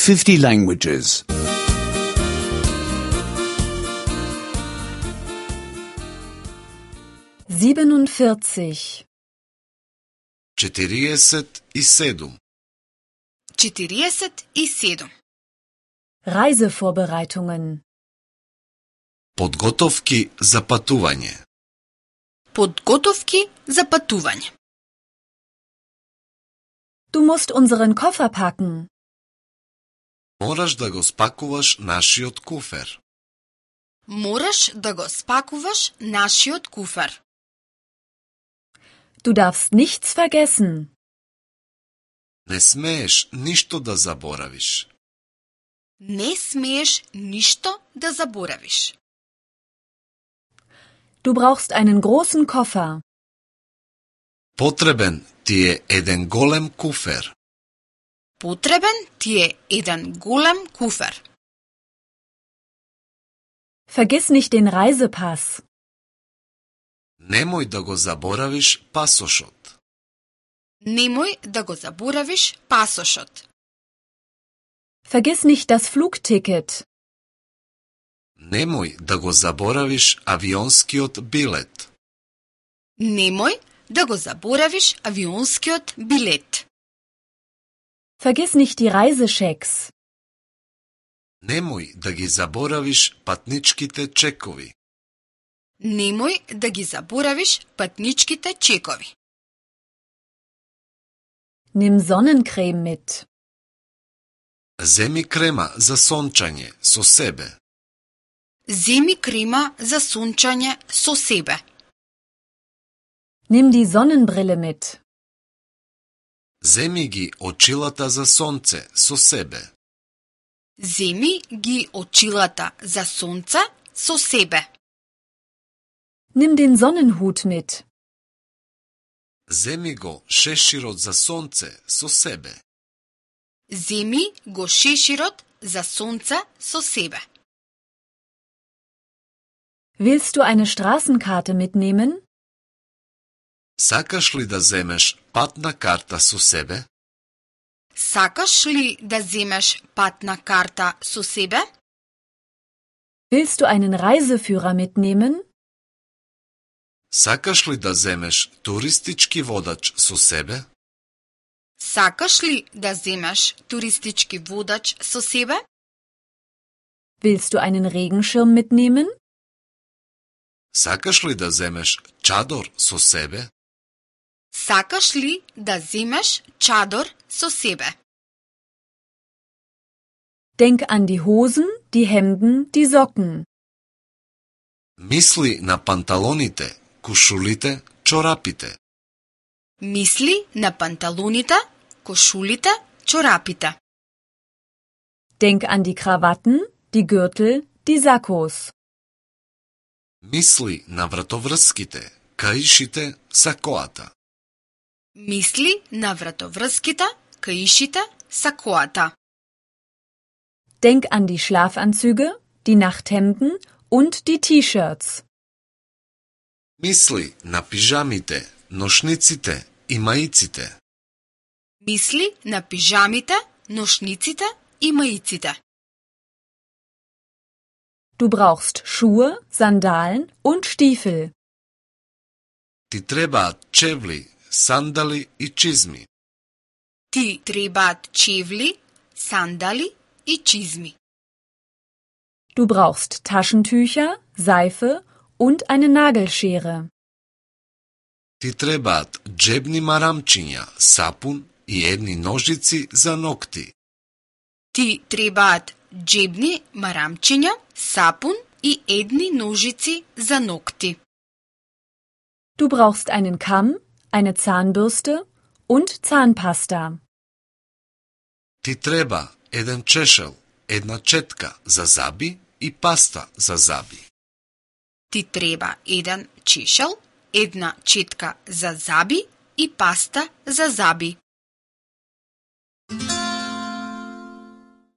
50 languages. 47. 47. 47. Reisevorbereitungen. Подготовки за патување. Подготовки за патување. Du musst unseren Koffer packen. Мораш да го спакуваш нашиот куфер. Мораш да го спакуваш нашиот куфер. Du darfst nichts vergessen. Не смееш ништо да заборавиш. Не смееш ништо да заборавиш. Du brauchst einen großen Koffer. Потребен ти е еден голем куфер. Потребен ти е еден голем куфер. Vergiss nicht den Reisepass. Немој да го заборавиш пасошот. Немој да го заборавиш пасошот. Vergiss nicht das Flugticket. Немој да го заборавиш авионскиот билет. Немој да го заборавиш авионскиот билет. Vergiss nicht die Reisechecks. Немој да ги заборавиш патничките чекови. Немој да ги заборавиш патничките чекови. Nimm Sonnencreme mit. Земи крема за сончање со себе. Земи крема за сончање со себе. Nimm die Sonnenbrille mit. Земи ги очилата за сонце со себе. Земи ги очилата за сонце со себе. Nimm den Sonnenhut mit. Земи го шеширот за сонце со себе. Земи го шеширот за сонце со себе. Willst du eine Straßenkarte mitnehmen? Сакаш ли да земеш патна карта со себе? Сакаш ли да земеш патна карта со себе? Willst du einen Reiseführer mitnehmen? Сакаш ли да земеш туристички водач со себе? Сакаш ли да земеш туристички водач со себе? Willst du einen Regenschirm mitnehmen? Сакаш ли да земеш чадор со себе? Сакаш ли да земеш чадор со себе? Denk an die Hosen, die Hemden, die Socken. Мисли на панталоните, кушулите, чорапите. Мисли на панталоните, кошулите, чорапите. Denk an die Krawatten, die Gürtel, die Sakkos. Мисли на вратоврските, каишите, сакоата. Мисли на вратоврските, каишите, сакоата. Denk an die Schlafanzüge, die Nachthemden und die T-Shirts. Мисли на пижамите, ношниците и маиците. Мисли на пижамите, ношниците и маиците. Du brauchst Schuhe, Sandalen und Stiefel. Ти требаат чевли, сандали и чизми. Ти требаат чевли, сандали и чизми. Du brauchst Taschentücher, Seife und eine Nagelschere. Ти требаат джебни марамчиња, сапун и едни ножици за ногти. Ти требаат джебни марамчиња, сапун и едни ножици за ногти. Du brauchst einen Kamm, eine Zahnbürste und Zahnpasta. Ти треба еден чешел, една четка за заби и паста за заби. Ти треба еден чешел, една четка за заби и паста за заби.